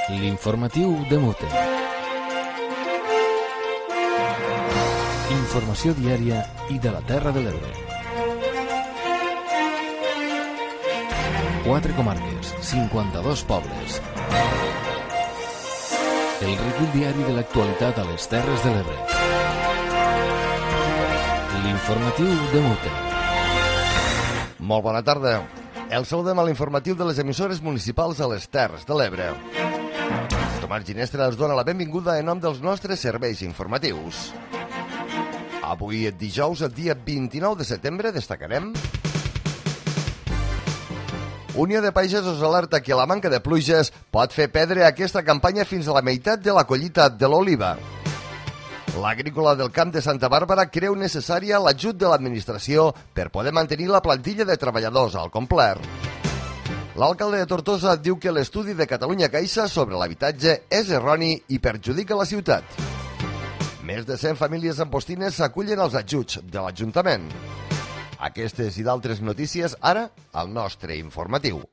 L'informatiu de Mute. Informació diària i de la Terra de l'Ebre. 4 comarques, 52 pobles. El recull diari de l'actualitat a les Terres de l'Ebre. L'informatiu de Mute. Molt bona tarda. El saludem a l'informatiu de les emissores municipals a les Terres de l'Ebre. Tomàs Ginestra els dona la benvinguda en nom dels nostres serveis informatius. Avui, dijous, el dia 29 de setembre, destacarem... Unió de Pagesos alerta que la manca de pluges pot fer perdre aquesta campanya fins a la meitat de la collita de l'oliva. L'agrícola del Camp de Santa Bàrbara creu necessària l'ajut de l'administració per poder mantenir la plantilla de treballadors al complet. L'alcalde de Tortosa diu que l'estudi de Catalunya Caixa sobre l'habitatge és erroni i perjudica la ciutat. Més de 100 famílies empostines s'acullen als ajuts de l'Ajuntament. Aquestes i d'altres notícies ara al nostre informatiu.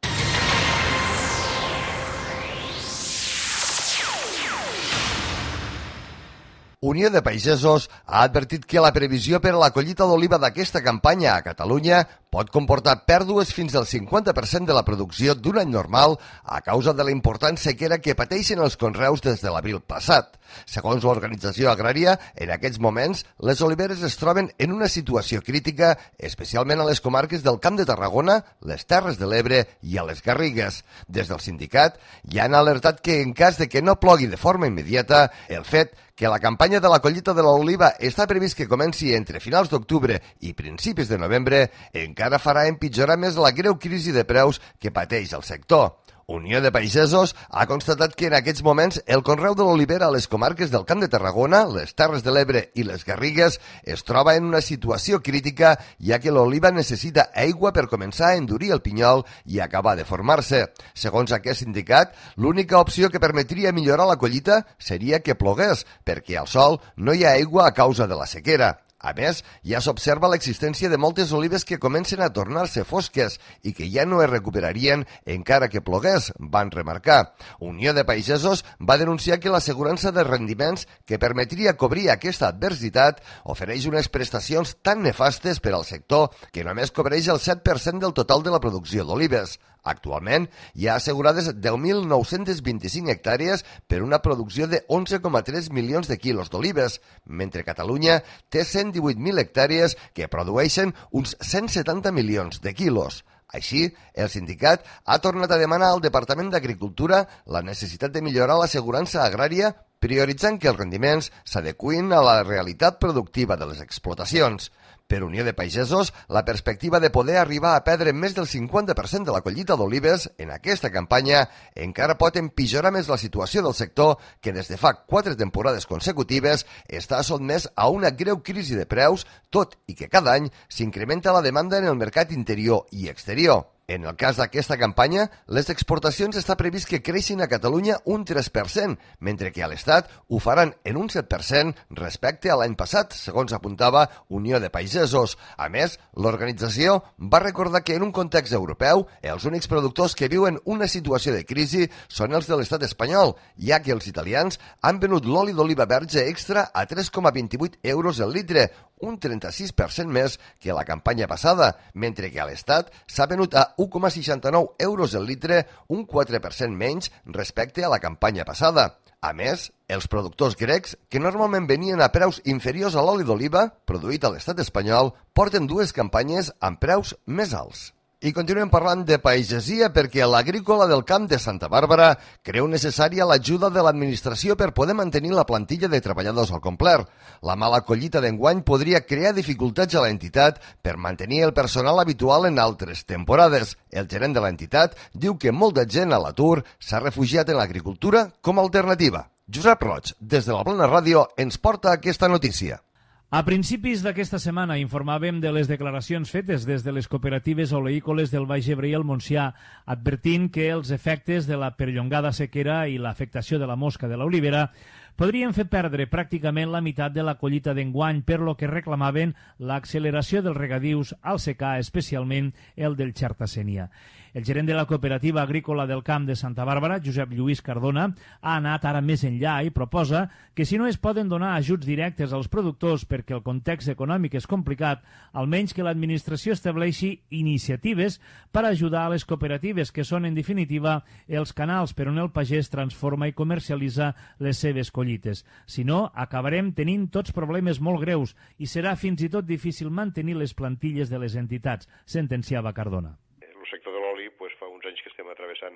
Unió de Pagesos ha advertit que la previsió per a la collita d'oliva d'aquesta campanya a Catalunya pot comportar pèrdues fins al 50% de la producció d'un any normal a causa de la important sequera que pateixen els conreus des de l'abril passat. Segons l'organització agrària, en aquests moments, les oliveres es troben en una situació crítica, especialment a les comarques del Camp de Tarragona, les Terres de l'Ebre i a les Garrigues. Des del sindicat ja han alertat que en cas de que no plogui de forma immediata, el fet que la campanya de la collita de l'oliva està previst que comenci entre finals d'octubre i principis de novembre, encara farà empitjorar més la greu crisi de preus que pateix el sector. Unió de Pagesos ha constatat que en aquests moments el conreu de l'olivera a les comarques del Camp de Tarragona, les Terres de l'Ebre i les Garrigues es troba en una situació crítica, ja que l'oliva necessita aigua per començar a endurir el pinyol i acabar de formar-se. Segons aquest sindicat, l'única opció que permetria millorar la collita seria que plogués, perquè al sol no hi ha aigua a causa de la sequera. A més, ja s'observa l'existència de moltes olives que comencen a tornar-se fosques i que ja no es recuperarien encara que plogués, van remarcar. Unió de Pagesos va denunciar que l'assegurança de rendiments que permetria cobrir aquesta adversitat ofereix unes prestacions tan nefastes per al sector que només cobreix el 7% del total de la producció d'olives. Actualment, hi ha assegurades 10.925 hectàrees per una producció de 11,3 milions de quilos d'olives, mentre Catalunya té 118.000 hectàrees que produeixen uns 170 milions de quilos. Així, el sindicat ha tornat a demanar al Departament d'Agricultura la necessitat de millorar l'assegurança agrària prioritzant que els rendiments s'adeqüin a la realitat productiva de les explotacions. Per Unió de Pagesos, la perspectiva de poder arribar a perdre més del 50% de la collita d'olives en aquesta campanya encara pot empitjorar més la situació del sector que des de fa 4 temporades consecutives està sotmès a una greu crisi de preus, tot i que cada any s'incrementa la demanda en el mercat interior i exterior. En el cas d'aquesta campanya, les exportacions està previst que creixin a Catalunya un 3%, mentre que a l'Estat ho faran en un 7% respecte a l'any passat, segons apuntava Unió de Pagesos. A més, l'organització va recordar que en un context europeu, els únics productors que viuen una situació de crisi són els de l'Estat espanyol, ja que els italians han venut l'oli d'oliva verge extra a 3,28 euros el litre, un 36% més que la campanya passada, mentre que a l'Estat s'ha venut a 1,69 euros el litre, un 4% menys respecte a la campanya passada. A més, els productors grecs, que normalment venien a preus inferiors a l'oli d'oliva, produït a l'estat espanyol, porten 2 campanyes amb preus més alts. I continuem parlant de pagesia perquè l'agrícola del Camp de Santa Bàrbara creu necessària l'ajuda de l'administració per poder mantenir la plantilla de treballadors al complet. La mala collita d'enguany podria crear dificultats a l'entitat per mantenir el personal habitual en altres temporades. El gerent de l'entitat diu que molta gent a l'atur s'ha refugiat en l'agricultura com a alternativa. Josep Roig, des de la Plana Ràdio, ens porta aquesta notícia. A principis d'aquesta setmana informàvem de les declaracions fetes des de les cooperatives oleícoles del Baix Ebre i el Montsià, advertint que els efectes de la perllongada sequera i l'afectació de la mosca de l'olivera podrien fer perdre pràcticament la meitat de la collita d'enguany, per lo que reclamaven l'acceleració dels regadius al secà, especialment el del Xerta-Sénia. El gerent de la Cooperativa Agrícola del Camp de Santa Bàrbara, Josep Lluís Cardona, ha anat ara més enllà i proposa que si no es poden donar ajuts directes als productors perquè el context econòmic és complicat, almenys que l'administració estableixi iniciatives per ajudar a les cooperatives, que són, en definitiva, els canals per on el pagès transforma i comercialitza les seves collites. Si no, acabarem tenint tots problemes molt greus i serà fins i tot difícil mantenir les plantilles de les entitats, sentenciava Cardona. El sector de l'oli fa uns anys que estem travessant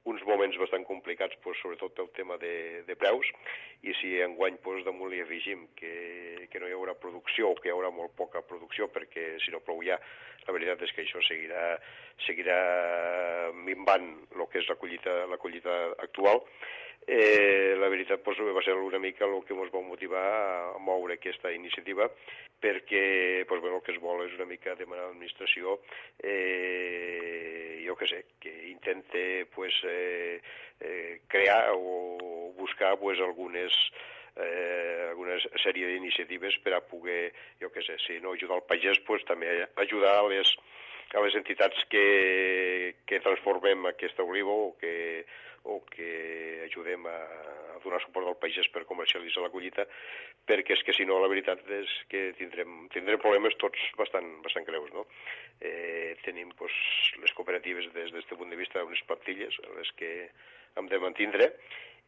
uns moments bastant complicats, sobretot pel tema de preus, i si enguany damunt li afegim que no hi haurà producció o que hi haurà molt poca producció, perquè si no plou ja, la veritat és que això seguirà minvant el que és la collita actual. La veritat va ser una mica el que ens va motivar a moure aquesta iniciativa, perquè el que es vol és una mica demanar a l'administració jo què sé, que intente crear o buscar alguna sèrie d'iniciatives per a poder, jo què sé, si no ajudar el pagès, també ajudar a les entitats que transformem aquesta oliva o que ajudem a donar suport al pagès per comercialitzar la collita, perquè és que si no la veritat és que tindrem problemes tots bastant greus, no? Tenim les cooperatives des d'aquest punt de vista unes plantilles a les que hem de mantindre,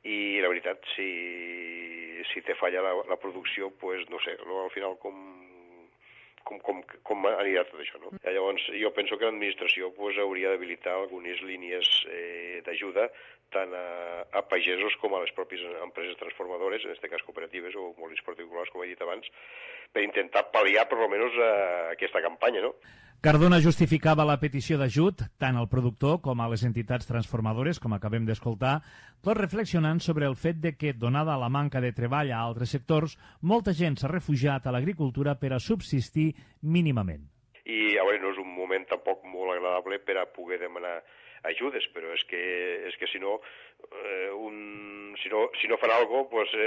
i la veritat si te falla la producció, no sé, al final com anirà tot això, no? Llavors, jo penso que l'administració hauria d'habilitar algunes línies d'ajuda tant a pagesos com a les pròpies empreses transformadores, en aquest cas cooperatives o molins particulars, com he dit abans, per intentar pal·liar per almenys aquesta campanya, no? Cardona justificava la petició d'ajut tant al productor com a les entitats transformadores, com acabem d'escoltar, tot reflexionant sobre el fet de que, donada la manca de treball a altres sectors, molta gent s'ha refugiat a l'agricultura per a subsistir mínimament. I a veure, no és un moment tampoc molt agradable per a poder demanar ajudes, però és que si no fan alguna cosa,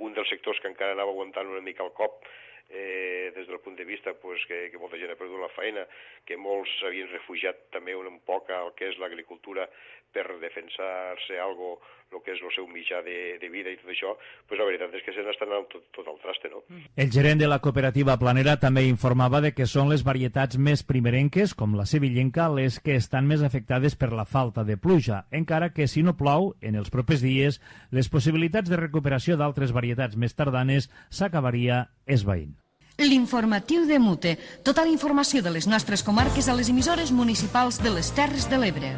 un dels sectors que encara anava aguantant una mica el cop des del punt de vista que molta gent ha perdut la feina, que molts s'havien refugiat també un poc al que és l'agricultura per defensar-se algo, el que és el seu mitjà de vida i tot això, la veritat és que se n'estan anant tot al traste, no? El gerent de la cooperativa Planera també informava de que són les varietats més primerenques, com la sevillenca, les que estan més afectades per la falta de pluja, encara que si no plou, en els propers dies, les possibilitats de recuperació d'altres varietats més tardanes s'acabaria esvaint. L'informatiu de Mute. Tota la informació de les nostres comarques a les emissores municipals de les Terres de l'Ebre.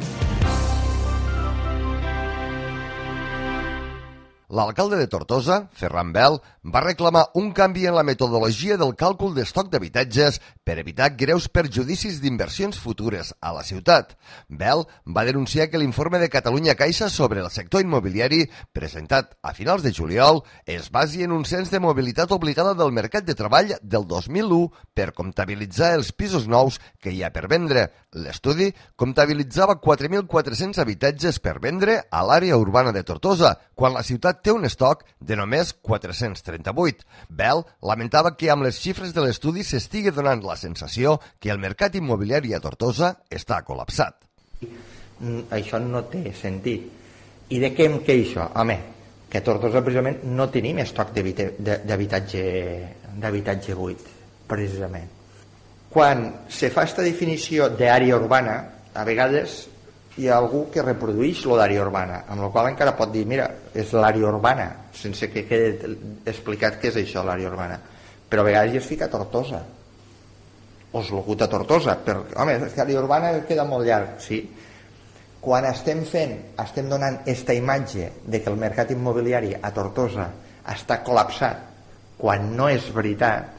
L'alcalde de Tortosa, Ferran Bel, va reclamar un canvi en la metodologia del càlcul d'estoc d'habitatges per evitar greus perjudicis d'inversions futures a la ciutat. Bel va denunciar que l'informe de Catalunya Caixa sobre el sector immobiliari, presentat a finals de juliol, es basi en un cens de mobilitat obligada del mercat de treball del 2001 per comptabilitzar els pisos nous que hi ha per vendre. L'estudi comptabilitzava 4.400 habitatges per vendre a l'àrea urbana de Tortosa, quan la ciutat té un estoc de només 438. Bel lamentava que amb les xifres de l'estudi s'estigui donant la sensació que el mercat immobiliari a Tortosa està col·lapsat. Això no té sentit. I de què em queixo? Home, que a Tortosa precisament no tenim estoc d'habitatge buit, precisament. Quan se fa aquesta definició d'àrea urbana, a vegades hi ha algú que reprodueix l'àrea urbana, amb la qual encara pot dir, mira, és l'àrea urbana, sense que quede explicat què és això, l'àrea urbana. Però a vegades hi es fica Tortosa, o es locuta Tortosa, però, home, és que l'àrea urbana queda molt llarg, sí. Quan estem donant aquesta imatge de que el mercat immobiliari a Tortosa està col·lapsat, quan no és veritat,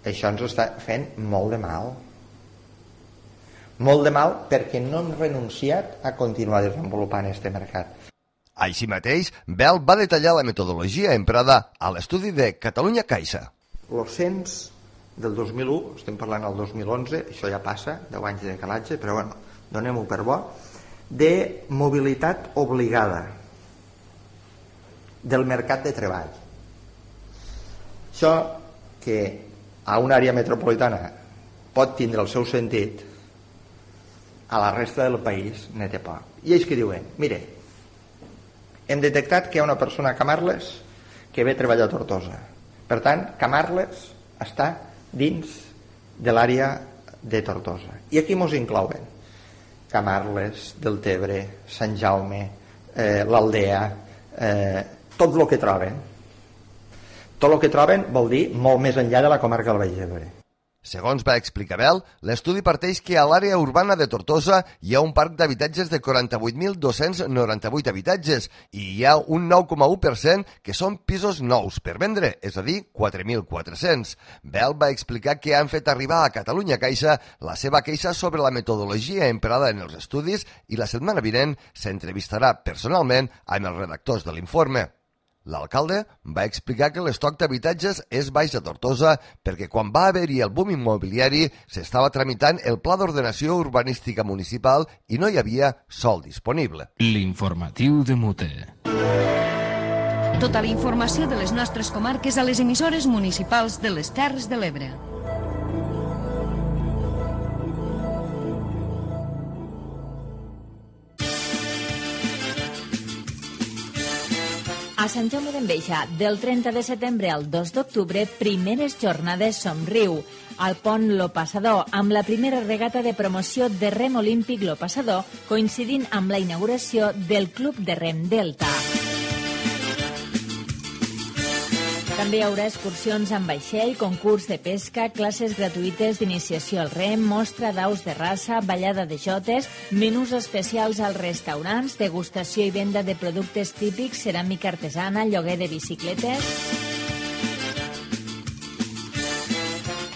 això ens està fent molt de mal. Molt de mal perquè no hem renunciat a continuar desenvolupant aquest mercat. Així mateix, Bel va detallar la metodologia emprada a l'estudi de Catalunya Caixa. El cens del 2001, estem parlant del 2011, això ja passa, 10 anys de calatge, però bueno, donem-ho per bo, de mobilitat obligada. del mercat de treball. Això que a una àrea metropolitana pot tindre el seu sentit, a la resta del país ne té poc. I ells que diuen, mire, hem detectat que hi ha una persona a Camarles que ve a treballar a Tortosa. Per tant, Camarles està dins de l'àrea de Tortosa. I aquí mos inclouen Camarles, Deltebre, Sant Jaume, l'Aldea, tot el que troben. Tot el que troben vol dir molt més enllà de la comarca del Baix Ebre. Segons va explicar Bel, l'estudi parteix que a l'àrea urbana de Tortosa hi ha un parc d'habitatges de 48.298 habitatges i hi ha un 9,1% que són pisos nous per vendre, és a dir, 4.400. Bel va explicar que han fet arribar a Catalunya Caixa la seva queixa sobre la metodologia emprada en els estudis i la setmana vinent s'entrevistarà personalment amb els redactors de l'informe. L'alcalde va explicar que l'estoc d'habitatges és baix a Tortosa perquè quan va haver-hi el boom immobiliari s'estava tramitant el Pla d'Ordenació Urbanística Municipal i no hi havia sòl disponible. L'informatiu de Mute. Tota la informació de les nostres comarques a les emissores municipals de les Terres de l'Ebre. A Sant Jaume d'Enveja, del 30 de setembre al 2 d'octubre, primeres jornades Somriu. Al pont Lo Passador, amb la primera regata de promoció de rem olímpic Lo Passador, coincidint amb la inauguració del Club de Rem Delta. També hi haurà excursions amb vaixell, concurs de pesca, classes gratuïtes d'iniciació al rem, mostra d'aus de raça, ballada de jotes, menús especials als restaurants, degustació i venda de productes típics, ceràmica artesana, lloguer de bicicletes.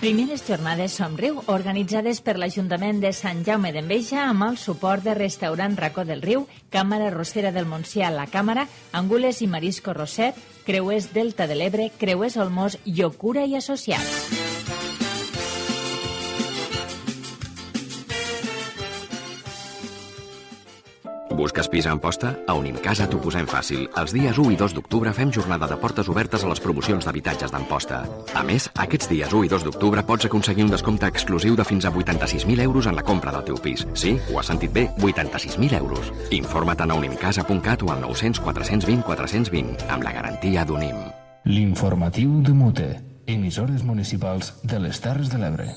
Primeres jornades Somriu, organitzades per l'Ajuntament de Sant Jaume d'Enveja amb el suport de Restaurant Racó del Riu, Càmera Rossera del Montsià, La Càmera, Angules i Marisco Roset, Creuers Delta de l'Ebre, Creuers Olmos, Llocura i Associats. Busques pis a Amposta? A Unimcasa t'ho posem fàcil. Els dies 1 i 2 d'octubre fem jornada de portes obertes a les promocions d'habitatges d'Amposta. A més, aquests dies 1 i 2 d'octubre pots aconseguir un descompte exclusiu de fins a 86.000 euros en la compra del teu pis. Sí, ho has sentit bé, 86.000 euros. Informa't a unimcasa.cat o al 900 420 420, amb la garantia d'Unim. L'informatiu de Mute. Emissores municipals de les Terres de l'Ebre.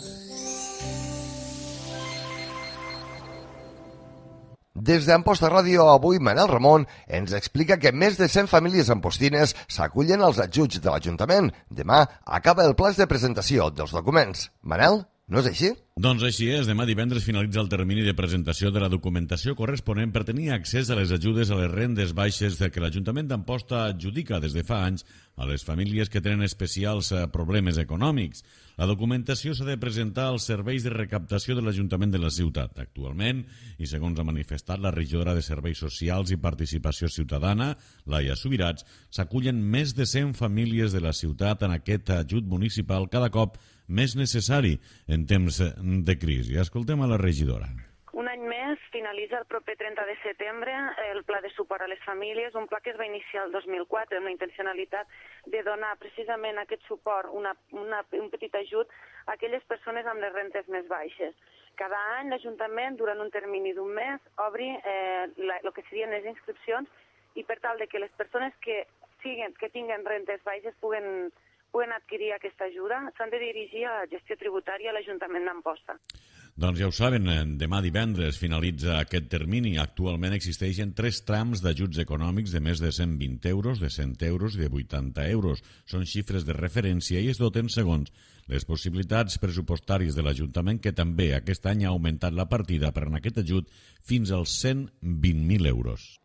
Des d'Amposta Ràdio, avui Manel Ramon ens explica que més de 100 famílies ampostines s'acullen als ajuts de l'Ajuntament. Demà acaba el plaç de presentació dels documents. Manel, no és així? Doncs així és. Demà divendres finalitza el termini de presentació de la documentació corresponent per tenir accés a les ajudes a les rendes baixes que l'Ajuntament d'Amposta adjudica des de fa anys a les famílies que tenen especials problemes econòmics. La documentació s'ha de presentar als serveis de recaptació de l'Ajuntament de la ciutat. Actualment, i segons ha manifestat la regidora de Serveis Socials i Participació Ciutadana, Laia Subirats, s'acullen més de 100 famílies de la ciutat en aquest ajut municipal cada cop més necessari en temps de crisi. Escoltem a la regidora. Un any més finalitza el proper 30 de setembre el Pla de Suport a les Famílies, un pla que es va iniciar el 2004 amb la intencionalitat de donar precisament aquest suport, un petit ajut a aquelles persones amb les rentes més baixes. Cada any l'Ajuntament, durant un termini d'un mes, obri el que serien les inscripcions i per tal de que les persones que tinguen rentes baixes puguen adquirir aquesta ajuda, s'han de dirigir a la gestió tributària a l'Ajuntament d'Amposta. Doncs ja ho saben, demà divendres finalitza aquest termini. Actualment existeixen 3 trams d'ajuts econòmics de més de 120 euros, de 100 euros i de 80 euros. Són xifres de referència i es doten segons les possibilitats pressupostàries de l'Ajuntament, que també aquest any ha augmentat la partida per a aquest ajut fins als 120.000 euros.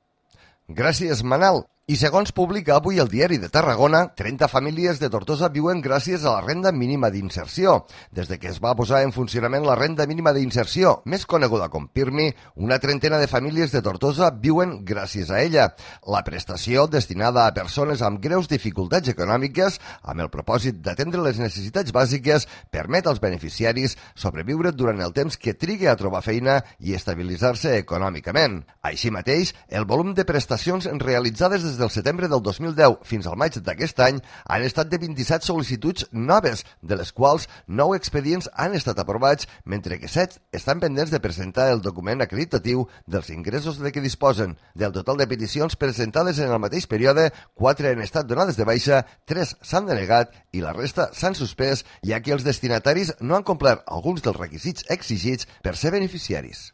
Gràcies, Manel. I segons publica avui el Diari de Tarragona, 30 famílies de Tortosa viuen gràcies a la renda mínima d'inserció. Des de que es va posar en funcionament la renda mínima d'inserció, més coneguda com PIRMI, una trentena de famílies de Tortosa viuen gràcies a ella. La prestació, destinada a persones amb greus dificultats econòmiques, amb el propòsit d'atendre les necessitats bàsiques, permet als beneficiaris sobreviure durant el temps que trigue a trobar feina i estabilitzar-se econòmicament. Així mateix, el volum de prestacions realitzades des des del setembre del 2010 fins al maig d'aquest any han estat de 27 sol·licituds noves, de les quals 9 expedients han estat aprovats, mentre que 7 estan pendents de presentar el document acreditatiu dels ingressos de què disposen. Del total de peticions presentades en el mateix període, 4 han estat donades de baixa, 3 s'han denegat i la resta s'han suspès, ja que els destinataris no han complert alguns dels requisits exigits per ser beneficiaris.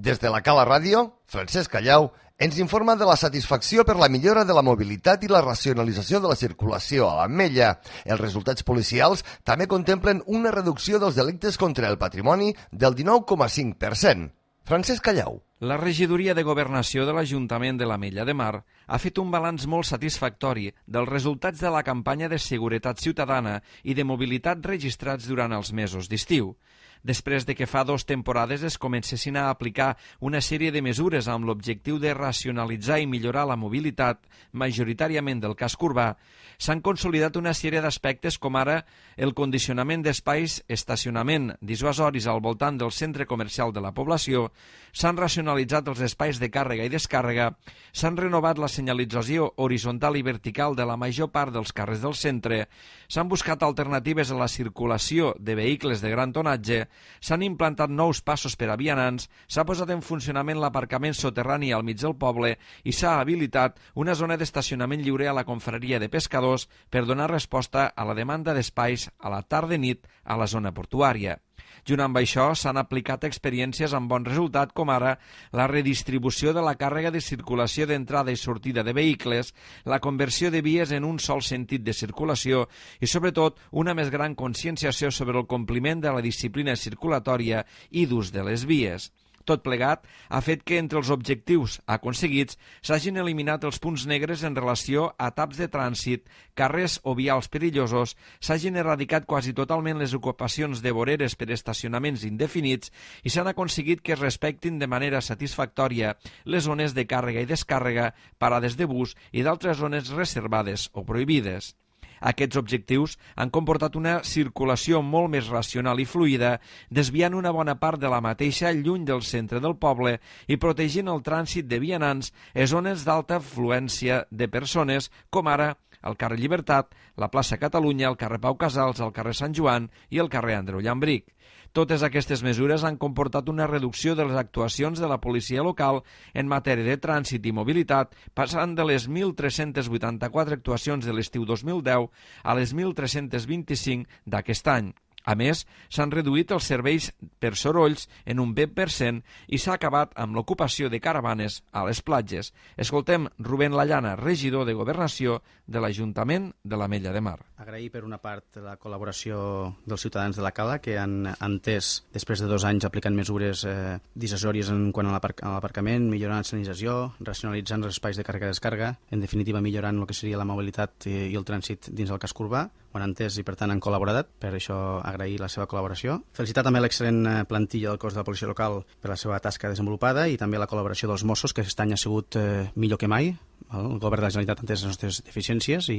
Des de la Cala Ràdio, Francesc Callau ens informa de la satisfacció per la millora de la mobilitat i la racionalització de la circulació a l'Ametlla. Els resultats policials també contemplen una reducció dels delictes contra el patrimoni del 19,5%. Francesc Callau. La regidoria de Governació de l'Ajuntament de l'Ametlla de Mar ha fet un balanç molt satisfactori dels resultats de la campanya de seguretat ciutadana i de mobilitat registrats durant els mesos d'estiu. Després de que fa 2 temporades es comencessin a aplicar una sèrie de mesures amb l'objectiu de racionalitzar i millorar la mobilitat, majoritàriament del casc urbà, s'han consolidat una sèrie d'aspectes com ara el condicionament d'espais, estacionament dissuasoris al voltant del centre comercial de la població, s'han racionalitzat els espais de càrrega i descàrrega, s'han renovat la senyalització horitzontal i vertical de la major part dels carrers del centre, s'han buscat alternatives a la circulació de vehicles de gran tonatge, s'han implantat nous passos per a vianants, s'ha posat en funcionament l'aparcament soterrani al mig del poble i s'ha habilitat una zona d'estacionament lliure a la confraria de pescadors per donar resposta a la demanda d'espais a la tarda-nit a la zona portuària. Junt amb això, s'han aplicat experiències amb bon resultat, com ara la redistribució de la càrrega de circulació d'entrada i sortida de vehicles, la conversió de vies en un sol sentit de circulació i, sobretot, una més gran conscienciació sobre el compliment de la disciplina circulatòria i d'ús de les vies. Tot plegat ha fet que entre els objectius aconseguits s'hagin eliminat els punts negres en relació a taps de trànsit, carrers o vials perillosos, s'hagin erradicat quasi totalment les ocupacions de voreres per estacionaments indefinits i s'han aconseguit que es respectin de manera satisfactòria les zones de càrrega i descàrrega, parades de bus i d'altres zones reservades o prohibides. Aquests objectius han comportat una circulació molt més racional i fluida, desviant una bona part de la mateixa lluny del centre del poble i protegint el trànsit de vianants en zones d'alta afluència de persones, com ara el carrer Llibertat, la plaça Catalunya, el carrer Pau Casals, el carrer Sant Joan i el carrer Andreu Llambric. Totes aquestes mesures han comportat una reducció de les actuacions de la policia local en matèria de trànsit i mobilitat, passant de les 1.384 actuacions de l'estiu 2010 a les 1.325 d'aquest any. A més, s'han reduït els serveis per sorolls en un 20% i s'ha acabat amb l'ocupació de caravanes a les platges. Escoltem Rubén Lallana, regidor de Governació de l'Ajuntament de l'Ametlla de Mar. Agrair per una part la col·laboració dels ciutadans de la Cala que han entès, després de 2 anys aplicant mesures dissuasòries en quant a l'aparcament, millorant la sanització, racionalitzant els espais de càrrega i descàrrega, en definitiva millorant el que seria la mobilitat i el trànsit dins el casc urbà. Ho han entès i per tant han col·laborat, per això agrair la seva col·laboració. Felicitar també l'excel·lent plantilla del cos de la policia local per la seva tasca desenvolupada i també la col·laboració dels Mossos, que aquest any ha sigut millor que mai. El govern de la Generalitat ha entès les nostres deficiències i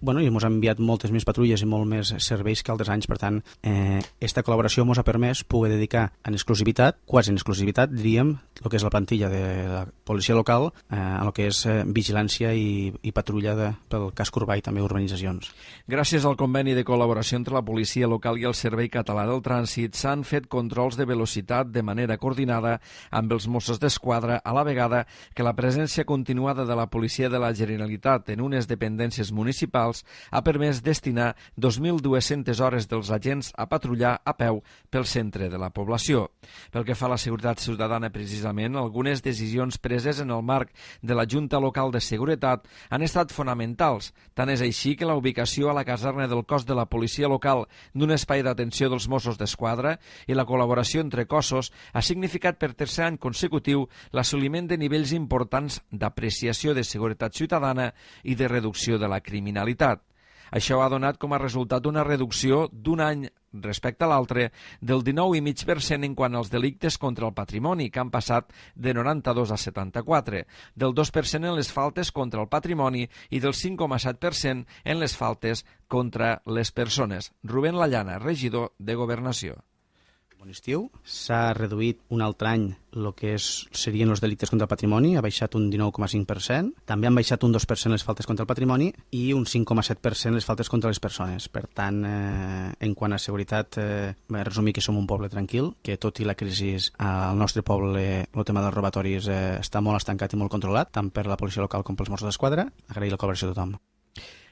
ens ha enviat moltes més patrulles i molt més serveis que altres anys. Per tant, aquesta col·laboració ens ha permès poder dedicar en exclusivitat, quasi en exclusivitat, diríem, el que és la plantilla de la policia local a el que és vigilància i patrulla pel casc urbà i també urbanitzacions. Gràcies al conveni de col·laboració entre la policia local i el Servei Català del Trànsit s'han fet controls de velocitat de manera coordinada amb els Mossos d'Esquadra, a la vegada que la presència continuada de la policia de la Generalitat en unes dependències municipals ha permès destinar 2.200 hores dels agents a patrullar a peu pel centre de la població. Pel que fa a la seguretat ciutadana, precisament, algunes decisions preses en el marc de la Junta Local de Seguretat han estat fonamentals. Tant és així que la ubicació a la caserna del cos de la policia local d'un espai d'atenció dels Mossos d'Esquadra i la col·laboració entre cossos ha significat per tercer any consecutiu l'assoliment de nivells importants d'apreciació de seguretat ciutadana i de reducció de la criminalitat. Això ha donat com a resultat una reducció d'un any respecte a l'altre del 19,5% en quant als delictes contra el patrimoni, que han passat de 92 a 74, del 2% en les faltes contra el patrimoni i del 5,7% en les faltes contra les persones. Rubén Lallana, regidor de Governació. Bon estiu. S'ha reduït un altre any el que serien els delictes contra el patrimoni, ha baixat un 19,5%. També han baixat un 2% les faltes contra el patrimoni i un 5,7% les faltes contra les persones. Per tant, en quant a seguretat, resumir que som un poble tranquil, que tot i la crisi al nostre poble el tema dels robatoris està molt estancat i molt controlat, tant per la policia local com pels Mossos d'Esquadra. Agrair la col·laboració de tothom.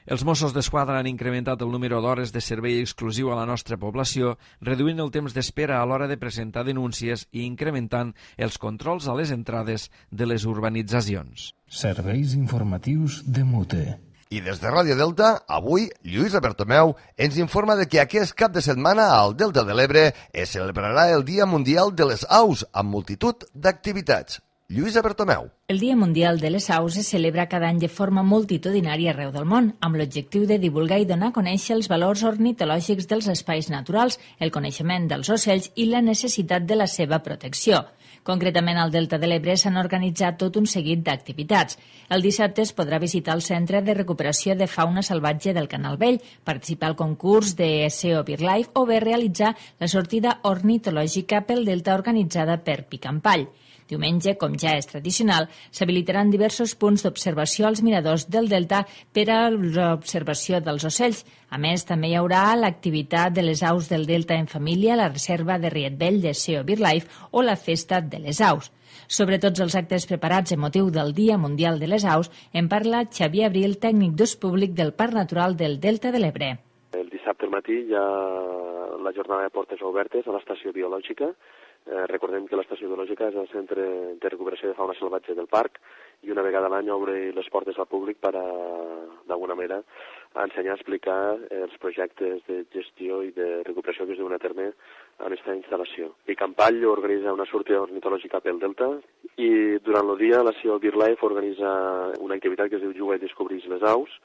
Els Mossos d'Esquadra han incrementat el número d'hores de servei exclusiu a la nostra població, reduint el temps d'espera a l'hora de presentar denúncies i incrementant els controls a les entrades de les urbanitzacions. Serveis informatius de Mute. I des de Ràdio Delta, avui, Lluïsa Bertomeu ens informa de que aquest cap de setmana al Delta de l'Ebre es celebrarà el Dia Mundial de les Aus amb multitud d'activitats. Lluïsa Bertomeu. El Dia Mundial de les Aus es celebra cada any de forma multitudinària arreu del món, amb l'objectiu de divulgar i donar a conèixer els valors ornitològics dels espais naturals, el coneixement dels ocells i la necessitat de la seva protecció. Concretament, al Delta de l'Ebre s'han organitzat tot un seguit d'activitats. El dissabte es podrà visitar el Centre de Recuperació de Fauna Salvatge del Canal Vell, participar al concurs de SEO BirdLife o bé realitzar la sortida ornitològica pel Delta organitzada per Picampall. Diumenge, com ja és tradicional, s'habilitaran diversos punts d'observació als miradors del Delta per a l'observació dels ocells. A més, també hi haurà l'activitat de les aus del Delta en família, la reserva de Riet Vell de SEO BirdLife o la festa de les aus. Sobre tots els actes preparats en motiu del Dia Mundial de les Aus, en parla Xavier Abril, tècnic d'ús públic del Parc Natural del Delta de l'Ebre. El dissabte al matí hi ha la jornada de portes obertes a l'estació biològica. Recordem que l'estació biològica és el centre de recuperació de fauna salvatge del parc i una vegada a l'any obre les portes al públic per d'alguna manera a ensenyar a explicar els projectes de gestió i de recuperació que es duen a terme en aquesta instal·lació. Picampall organitza una sortida ornitològica pel Delta i durant el dia la SEO BirdLife organitza una activitat que es diu Juga i descobreix les aus,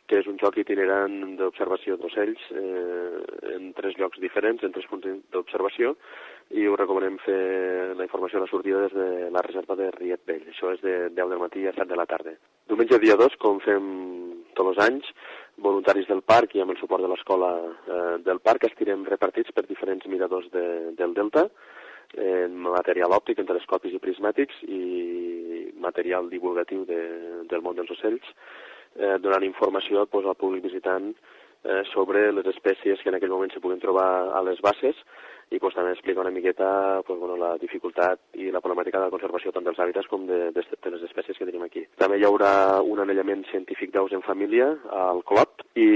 que és un joc itinerant d'observació d'ocells en 3 llocs diferents, en 3 punts d'observació, i us recomanem fer la informació a la sortida des de la reserva de Riet Vell. Això és de 10 del matí a 7 de la tarda. Diumenge dia 2, com fem tots els anys, voluntaris del parc i amb el suport de l'escola del parc estirem repartits per diferents miradors del Delta, en material òptic, en telescopis i prismàtics i material divulgatiu del món dels ocells, donant informació al públic visitant sobre les espècies que en aquell moment se puguen trobar a les basses i també explicar una miqueta la dificultat i la problemàtica de la conservació tant dels hàbitats com de les espècies que tenim aquí. També hi haurà un anellament científic d'aus en família al Clot i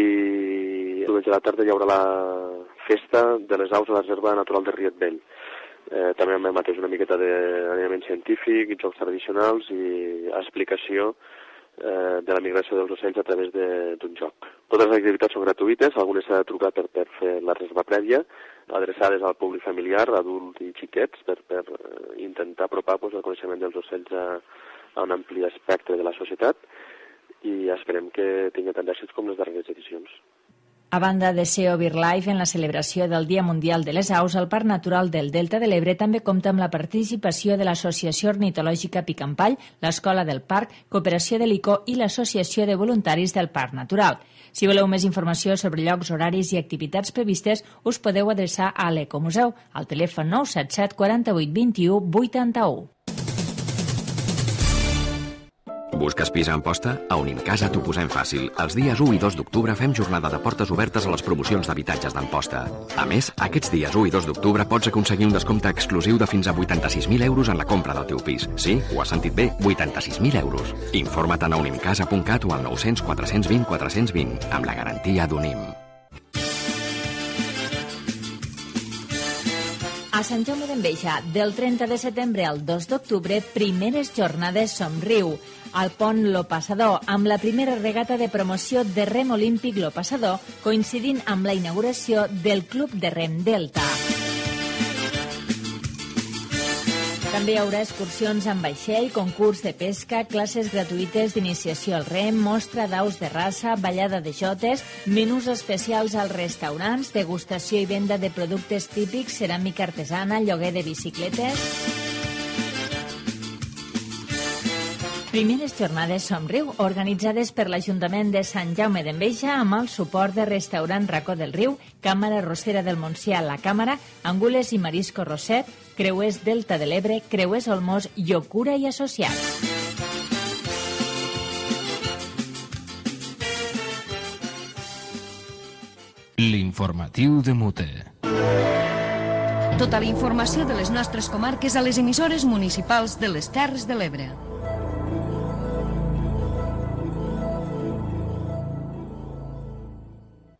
diumenge a la tarda hi haurà la festa de les aus a la reserva natural de Riet Vell. També amb el mateix una miqueta d'anellament científic, jocs tradicionals i explicació de la migració dels ocells a través d'un joc. Totes les activitats són gratuïtes, algunes s'ha de trucar per fer la reserva prèvia, adreçades al públic familiar, adults i xiquets, per intentar apropar el coneixement dels ocells a un ampli espectre de la societat i esperem que tingui tant d'èxits com les darreres edicions. A banda de SEO BirdLife, en la celebració del Dia Mundial de les Aus, el Parc Natural del Delta de l'Ebre també compta amb la participació de l'Associació Ornitològica Picampall, l'Escola del Parc, Cooperació de l'ICO i l'Associació de Voluntaris del Parc Natural. Si voleu més informació sobre llocs, horaris i activitats previstes, us podeu adreçar a l'Ecomuseu, al telèfon 977 48 21 81. Busques pis a Amposta? A Unimcasa t'ho posem fàcil. Els dies 1 i 2 d'octubre fem jornada de portes obertes a les promocions d'habitatges d'Amposta. A més, aquests dies 1 i 2 d'octubre pots aconseguir un descompte exclusiu de fins a 86.000 euros en la compra del teu pis. Sí, ho has sentit bé, 86.000 euros. Informa't a unimcasa.cat o al 900 420 420, amb la garantia d'Unim. A Sant Jaume d'Enveja, del 30 de setembre al 2 d'octubre, primeres jornades Somriu. Al pont Lo Passador, amb la primera regata de promoció de rem olímpic Lo Passador, coincidint amb la inauguració del Club de Rem Delta. També hi haurà excursions amb vaixell, concurs de pesca, classes gratuïtes d'iniciació al rem, mostra d'aus de raça, ballada de jotes, menús especials als restaurants, degustació i venda de productes típics, ceràmica artesana, lloguer de bicicletes. Primeres jornades Somriu, organitzades per l'Ajuntament de Sant Jaume d'Enveja amb el suport de Restaurant Racó del Riu, Càmara Rossera del Montsià, La Càmara, Angules i Marisco Roset, Creuers Delta de l'Ebre, Creuers Olmos, Llocura i Associats. L'informatiu de Mute. Tota la informació de les nostres comarques a les emissores municipals de les Terres de l'Ebre.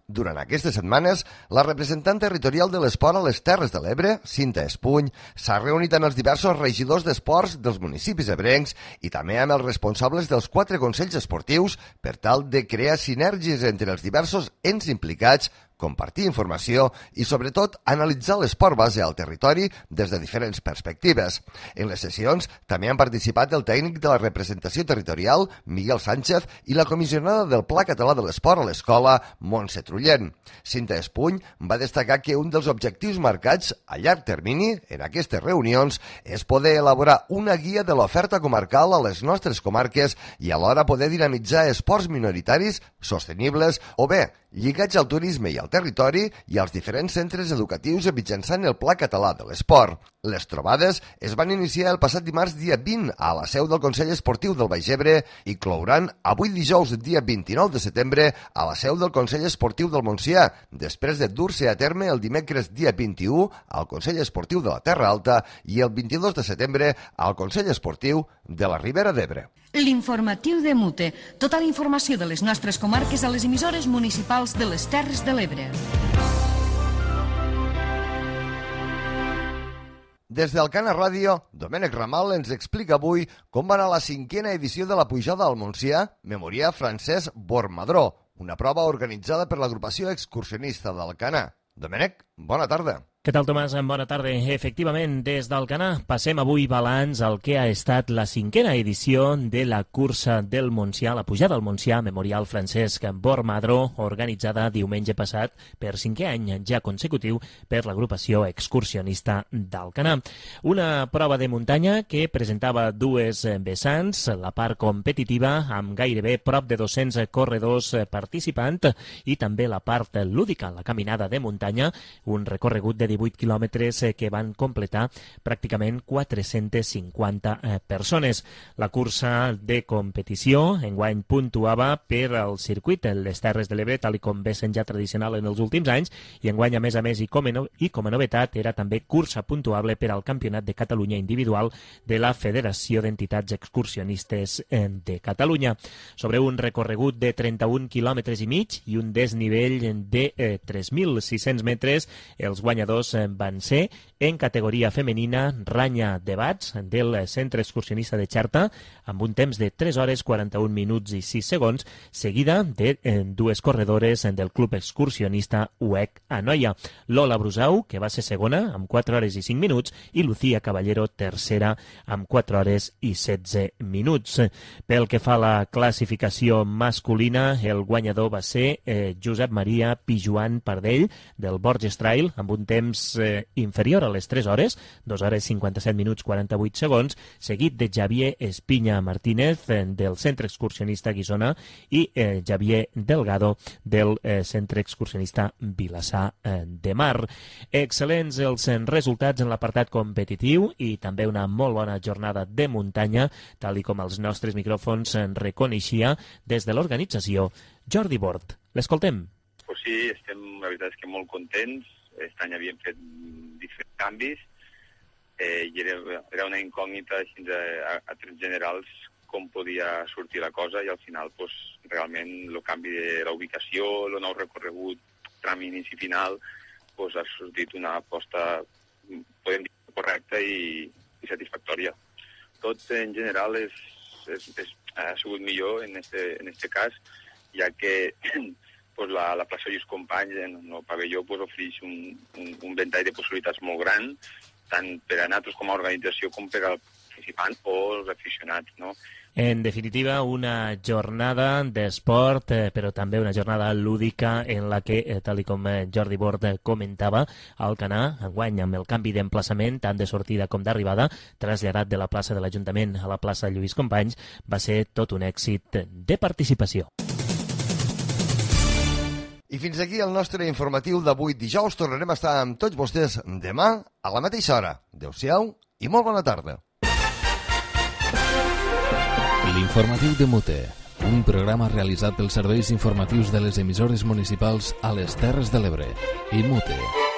Durant aquestes setmanes, la representant territorial de l'esport a les Terres de l'Ebre, Cinta Espuny, s'ha reunit amb els diversos regidors d'esports dels municipis ebrencs i també amb els responsables dels 4 consells esportius per tal de crear sinergies entre els diversos ens implicats, compartir informació i, sobretot, analitzar l'esport base al territori des de diferents perspectives. En les sessions també han participat el tècnic de la representació territorial, Miguel Sánchez, i la comissionada del Pla Català de l'Esport a l'Escola, Montse Trullent. Cinta Espuny va destacar que un dels objectius marcats a llarg termini en aquestes reunions és poder elaborar una guia de l'oferta comarcal a les nostres comarques i alhora poder dinamitzar esports minoritaris, sostenibles o bé lligats al turisme i al territori i als diferents centres educatius mitjançant el Pla Català de l'Esport. Les trobades es van iniciar el passat dimarts dia 20 a la seu del Consell Esportiu del Baix Ebre i clouran avui dijous dia 29 de setembre a la seu del Consell Esportiu del Montsià, després de dur-se a terme el dimecres dia 21 al Consell Esportiu de la Terra Alta i el 22 de setembre al Consell Esportiu de la Ribera d'Ebre. L'informatiu de Mute. Tota la informació de les nostres comarques a les emissores municipals de les Terres de l'Ebre. Des del Cana Ràdio, Domènec Ramal ens explica avui com va anar la 5a edició de la pujada al Montsià, Memorià Francesc Bormadró, una prova organitzada per l'agrupació excursionista d'Alcanar. Domènec, bona tarda. Què tal, Tomàs? Bona tarda. Efectivament, des d'Alcanar passem avui balanç al que ha estat la 5a edició de la cursa del Montsià, la pujada al Montsià, Memorial Francesc Bormadró, organitzada diumenge passat per 5è any ja consecutiu per l'agrupació excursionista d'Alcanar. Una prova de muntanya que presentava dues vessants, la part competitiva amb gairebé prop de 200 corredors participants i també la part lúdica, la caminada de muntanya, un recorregut de 18 quilòmetres que van completar pràcticament 450 persones. La cursa de competició enguany puntuava per al circuit les Terres de l'Ebre, tal com ve sent ja tradicional en els últims anys, i enguany, a més, i com a novetat, era també cursa puntuable per al Campionat de Catalunya individual de la Federació d'Entitats Excursionistes de Catalunya. Sobre un recorregut de 31 quilòmetres i mig i un desnivell de 3.600 metres, els guanyadors van ser en categoria femenina Ranya Debats del Centre Excursionista de Xerta amb un temps de 3 hores 41 minuts i 6 segons, seguida de dues corredores del Club Excursionista UEC Anoia, Lola Brusau, que va ser segona amb 4 hores i 5 minuts, i Lucía Caballero, tercera amb 4 hores i 16 minuts. Pel que fa a la classificació masculina, el guanyador va ser Josep Maria Pijuan Pardell del Borges Trail amb un temps inferior a les 3 hores, 2 hores 57 minuts 48 segons, seguit de Javier Espinya Martínez del Centre Excursionista Guissona i Javier Delgado del Centre Excursionista Vilassar de Mar. Excel·lents els resultats en l'apartat competitiu i també una molt bona jornada de muntanya, tal i com els nostres micròfons reconeixia des de l'organització Jordi Bord. L'escoltem. Pues sí, la veritat és que molt contents. Aquest any havíem fet diferents canvis i era una incògnita així a trets generals com podia sortir la cosa, i al final pues, realment el canvi de la ubicació, el nou recorregut, tram inici final, pues, ha sortit una aposta, podem dir, correcta i satisfactòria. Tot en general ha sigut millor en este cas, ja que pues, la plaça Lluís Companys en el pavelló pues, ofereix un ventall de possibilitats molt gran, tant per a nosaltres com a organització com per al participant o els aficionats, no? En definitiva, una jornada d'esport, però també una jornada lúdica en la que, tal com Jordi Bord comentava, Alcanar, enguany amb el canvi d'emplaçament, tant de sortida com d'arribada, traslladat de la plaça de l'Ajuntament a la plaça Lluís Companys, va ser tot un èxit de participació. I fins aquí el nostre informatiu d'avui dijous. Tornarem a estar amb tots vostès demà a la mateixa hora. Adéu-siau i molt bona tarda. L'informatiu de Mute, un programa realitzat pels serveis informatius de les emissores municipals a les Terres de l'Ebre i Mute.